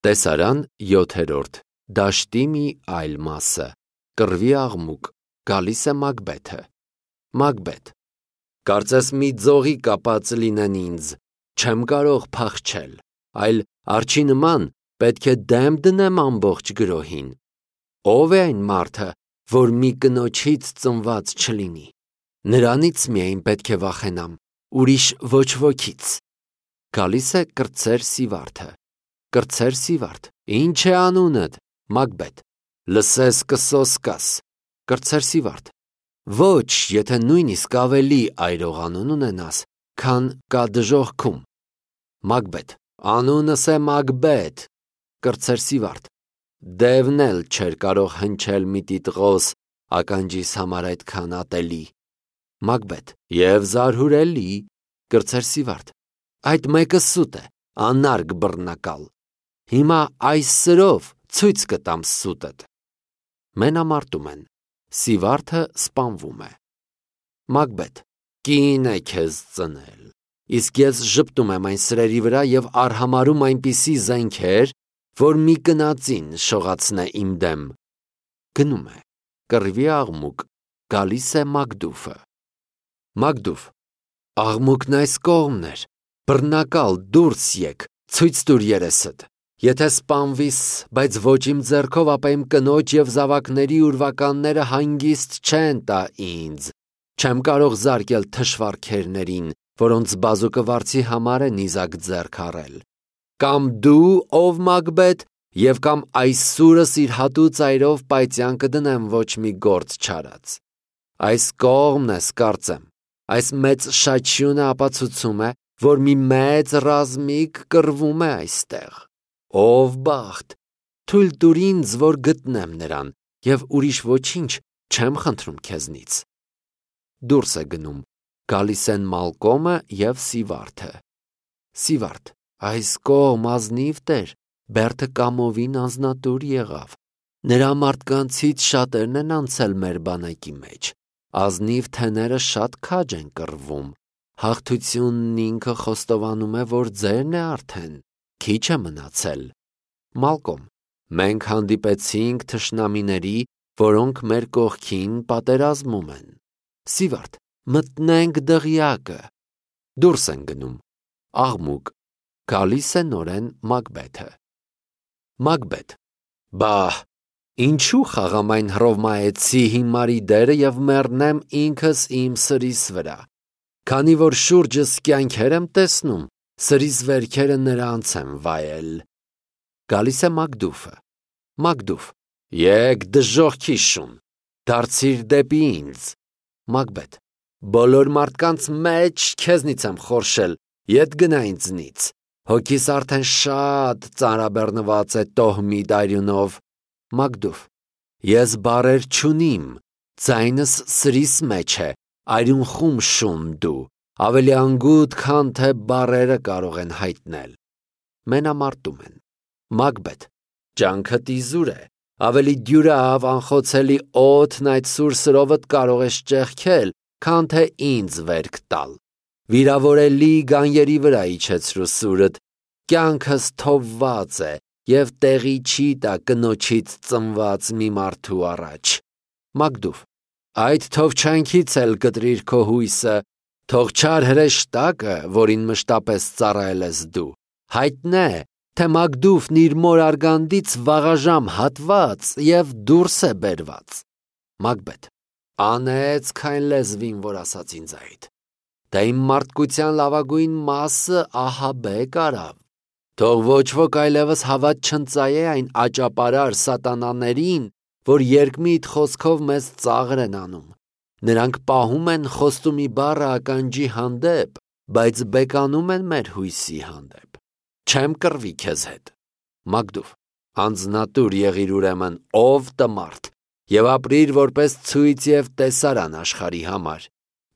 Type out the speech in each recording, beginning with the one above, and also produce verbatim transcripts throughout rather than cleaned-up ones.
Տեսարան յոթերորդ Դաշտի մի այլ մասը Կռվի աղմուկ Գալիս է Մակբեթը Մակբեթ Կարծես մի ձողի կապած լինեն ինձ Չեմ կարող փախչել Այլ արջի նման պետք է դեմ դնեմ ամբողջ գրոհին Ով է այն մարդը որ մի կնոջից ծնված չլինի Նրանից միայն պետք է վախենամ Ուրիշ ոչ ոքից Գալիս է կրտսեր Սիվարդը Կրտսեր Սիվարդ Ինչ է անունդ Մակբեթ Լսես կսոսկաս Կրտսեր Սիվարդ Ոչ եթե նույնիսկ ավելի այրող անուն ունենաս Քան կա դժոխքում Մակբեթ Անունս է Մակբեթ Կրտսեր Սիվարդ Դևն էլ չէր կարող հնչել մի տիտղոս Ականջիս համար այդքան ատելի Մակբեթ Եվ զարհուրելի Կրտսեր Սիվարդ Այդ մեկը սուտ է Անարգ բռնակալ Հիմա այս սրով ցույց կտամ սուտդ Մենամարտում են Սիվարդը սպանվում է Մակբեթ Կին է քեզ ծնել Իսկ ես ժպտում եմ այն սրերի վրա եւ արհամարում այնպիսի զենքեր որ մի կնածին շողացնե իմ դեմ Գնում է Կռվի աղմուկ Գալիս է Մակդուֆը Մակդուֆ Աղմուկն այս կողմն էր Բռնակալ դուրս եկ Ցույց տուր երեսդ Եթե սպանվիս, բայց ոչ իմ ձեռքով, ապա իմ կնոջ և զավակների ուրվականները հանգիստ չեն տա ինձ, չեմ կարող զարկել թշվառքերներին, որոնց բազուկը վարձի համար է նիզակ ձեռք առել, կամ դու, ով Մակբեթ, և կամ այս սուրս իր հատու ծայրով պայծյան կդնեմ ոչ մի գործ չարած, այս կողմն ես կարծեմ, այս մեծ շաչյունը ապացուցում է, որ մի մեծ ռազմիկ կռվում է այստեղ, Ով բախտ, թույլ տուր ինձ, որ գտնեմ նրան, և ուրիշ ոչինչ չեմ խնդրում քեզնից։ Դուրս է գնում, գալիս են Մալկոմը և Սիվարդը։ Սիվարդ, այս կողմ ազնիվ տեր, Բերդը կամովին անձնատուր եղավ։ Նրա մարդկանցից շատերն են անցել մեր բանակի մեջ, ազնիվ թեները շատ քաջ են կռվում, հաղթությունն ինքը խոստովանում է, որ ձերն է արդեն, քիչ է մնացել։ Մալկոմ, մենք հանդիպեցինք թշնամիների, որոնք մեր կողքին պատերազմում են։ Սիվարդ, մտնենք դղյակը։ Դուրս են գնում։ Աղմուկ, գալիս է նորեն Մակբեթը։ Մակբեթ, բահ, ինչու խաղամ այն հռովմայեցի հիմարի դերը և մեռնեմ ինքս իմ սրիս վրա, քանի որ շուրջս կյանքեր եմ տեսնում, Սրիս վերքերը նրանց եմ վայել։ Գալիս է Մակդուֆը։ Մակդուֆ, եկ դժոխքի շուն, դարձիր դեպի ինձ։ Մակբեթ, բոլոր մարդկանց մեջ քեզնից եմ խորշել, ետ գնա ինձնից, հոգիս արդեն շատ ծանրաբեռնված է տոհմի դայրյունով։ Մակդուֆ, ես բարեր չունիմ, ձայնս սրիս մեջ է, այրուն խում շուն դու, ավելի անգութ, քան թե բարերը կարող են հայտնել։ Մենամարտում են։ Մակբեթ, ջանքդ իզուր է, ավելի դյուրավ անխոցելի օդն այդ սուր սրովդ կարող ես ճեղքել, քան թե ինձ վերք տալ։ Վիրավորելի գանյերի վրա իջեցրու սուրդ, կյանքս թովված է և տեղի չի տա կնոջից ծնված մի մարդու առաջ։ Մակդուֆ, այդ թովչանքից էլ կտրիր քո հույսը, Թող չար հրեշտակը, որին մշտապես ծառայել ես դու, հայտնե, թե Մակդուֆն իր մոր արգանդից վաղաժամ հատված և դուրս է բերված։ Մակբեթ, անեց քայն լեզվին, որ ասաց ինձ այդ, դա իմ մարդկության լավագույն մասը Ահաբեկ արավ, թող ոչ ոք այլևս հավատ չընծայե այն աճապարար սատանաներին, որ երկմիտ խոսքով մեզ ծաղր են անում, նրանք պահում են խոստումի բառը ականջի հանդեպ, բայց բեկանում են մեր հույսի հանդեպ, չեմ կռվի քեզ հետ։ Մակդուֆ, անձնատուր եղիր ուրեմն, ով տմարդ, և ապրիր որպես ցույց և տեսարան աշխարհի համար,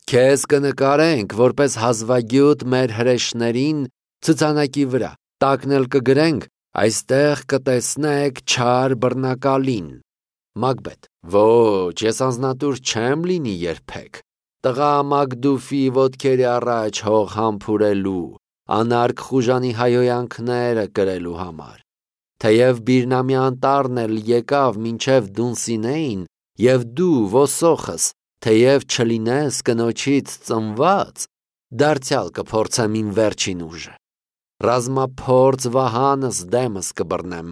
քեզ կնկարենք որպես հազվագյուտ մեր հրեշներին ցուցանակի վրա, տակն էլ կգրենք, այստեղ կտեսնեք չար բռնակալին։ Մակբեթ, ոչ, ես անձնատուր չեմ լինի երբեք, տղա Մակդուֆի ոտքերի առաջ հող համբուրելու, անարգ խուժանի հայհոյանքները կրելու համար։ թեև Բիրնամի անտառն էլ եկավ մինչև Դունսինեին, և դու ոսոխս, թեև չլինես կնոջից ծնված, դարձյալ կփորձեմ իմ վերջին ուժը։ Ռազմափորձ վահանս դեմս կբռնեմ,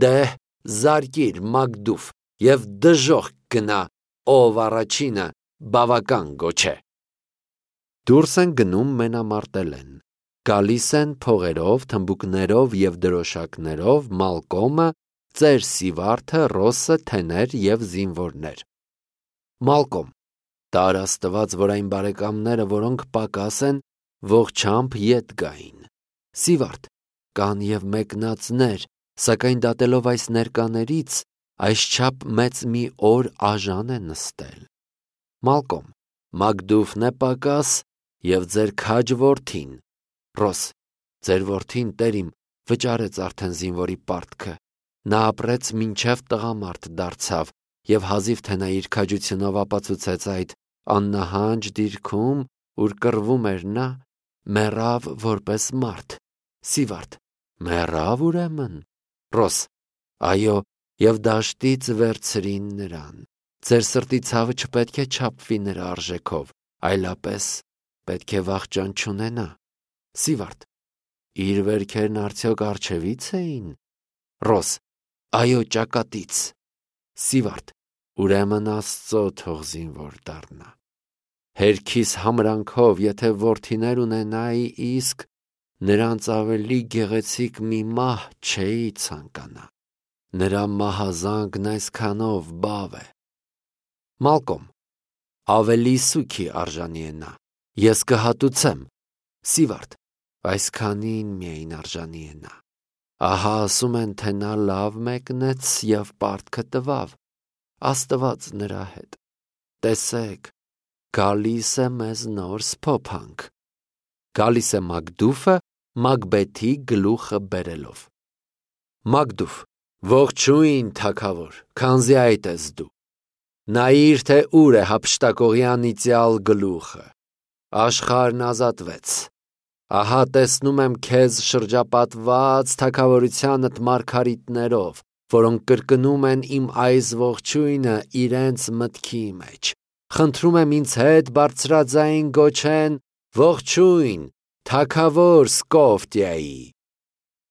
դեհ զարկիր Մակդուֆ և դժոխք գնա, ով առաջինը բավական գոչե։ Դուրս են գնում մենամարտելեն, գալիս են փողերով, թմբուկներով և դրոշակներով Մալկոմը, ծեր Սիվարդը, Ռոսը, թեներ և զինվորներ։ Մալկոմ, տար Աստված, որ այն բարեկամները, որոնք պակաս են, ողջամբ ետ գային։ Սիվարդ, կան և մեկնածներ, սակայն դատելով այս ներկաներից, այսչափ մեծ մի օր աժան է նստել։ Մալկոմ, Մակդուֆն է պակաս և ձեր քաջ որդին։ Ռոս, ձեր որդին, տերիմ, վճարեց արդեն զինվորի պարտքը, նա ապրեց մինչև տղամարդ դարձավ, և հազիվ թե նա իր քաջությունով ապացուցեց այդ աննահանջ դիրքում, ուր կռվում էր նա, մեռավ որպես մարդ։ Սիվարդ, մեռավ ուրեմն։ Ռոս, այո, և դաշտից վերցրին նրան։ Ձեր սրտի ցավը չպետք է չափվի նրա արժեքով, այլապես պետք է վախճան չունենա։ Սիվարդ, իր վերքերն արդյոք առջևից էին։ Ռոս, այո, ճակատից։ Սիվարդ, ուրեմն Աստծո թող զինվոր դառնա։ Հերքիս համրանքով, եթե որդիներ ունենայի, իսկ նրանց ավելի գեղեցիկ մի մահ չէի ցանկանա։ Նրա մահազանգն այսքանով բավ է։ Մալկոմ, ավելի սուքի արժանի է նա, ես կհատուցեմ։ Սիվարդ, այսքանին միայն արժանի է նա։ Ահա ասում են, թե նա լավ մեկնեց և պարտքը տվավ, Աստված նրա հետ։ Տեսեք, գալիս է մեզ նոր սփոփանք։ Գալիս է Մակդուֆը, Մակբեթի գլուխը բերելով։ Մակդուֆ, ողջույն թագավոր, քանզի այդ ես դու։ Նայիր, թե ուր է հափշտակողի անիծյալ գլուխը։ Աշխարհն ազատվեց։ Ահա տեսնում եմ քեզ շրջապատված թագավորությանդ մարգարիտներով, որոնք կրկնում են իմ այս ողջույնը իրենց մտքի մեջ։ Խնդրում եմ ինձ հետ բարձրաձայն գոչեն ողջույն թագավոր Սկոֆտիայի։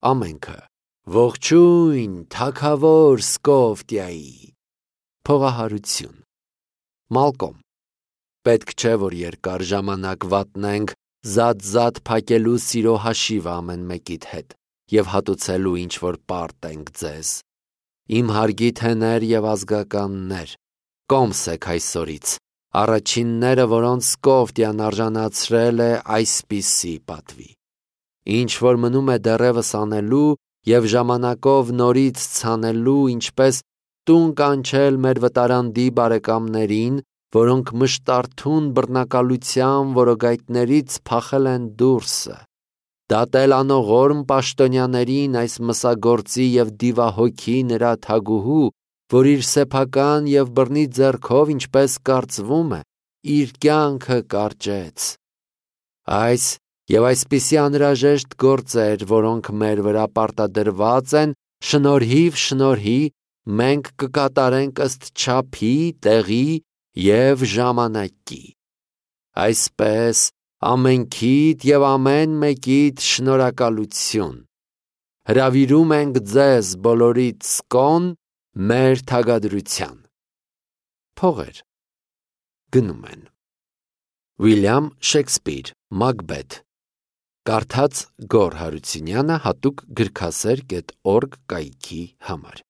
Ամենքը ողջույն թագավոր Սկոֆտիայի։ Փողահարություն։ Մալկոմ, պետք չէ, որ երկար ժամանակ վատնենք զատ-զատ փակելու սիրո հաշիվը ամեն մեկիդ հետ և հատուցելու ինչ-որ պարտ ենք ձեզ։ Իմ հարգի թեներ և ազգականներ, կոմս եք այսօրից, առաջինները, որոնց Սկոֆտիան արժանացրել է այսպիսի պատվի։ Ինչ որ մնում է դեռևս անելու և ժամանակով նորից ցանելու, ինչպես տուն կանչել մեր վտարանդի բարեկամներին, որոնք մշտարթուն բռնակալության որոգայթներից փախել են դուրսը, դատել անողորմ պաշտոնյաներին այս մսագործի և դիվահոգի նրա թագուհու, որ իր սեփական և բռնի ձեռքով, ինչպես կարծվում է, իր կյանքը կարճեց։ Այս և այսպիսի անհրաժեշտ գործեր, որոնք մեր վրա պարտադրված են, շնորհիվ շնորհի, մենք կկատարենք ըստ չափի, տեղի և ժամանակի։ Այսպես ամենքիդ և ամեն մեկիդ շնորհակալություն։ Հրավիրում ենք ձեզ բոլորիդ սկոն մեր թագադրության։ Փողեր գնում են։ Վիլյամ Շեքսպիր, Մակբեթ։ Կարդաց Գոռ Հարությունյանը հատուկ գրքասեր կետ օրգ կայքի համար։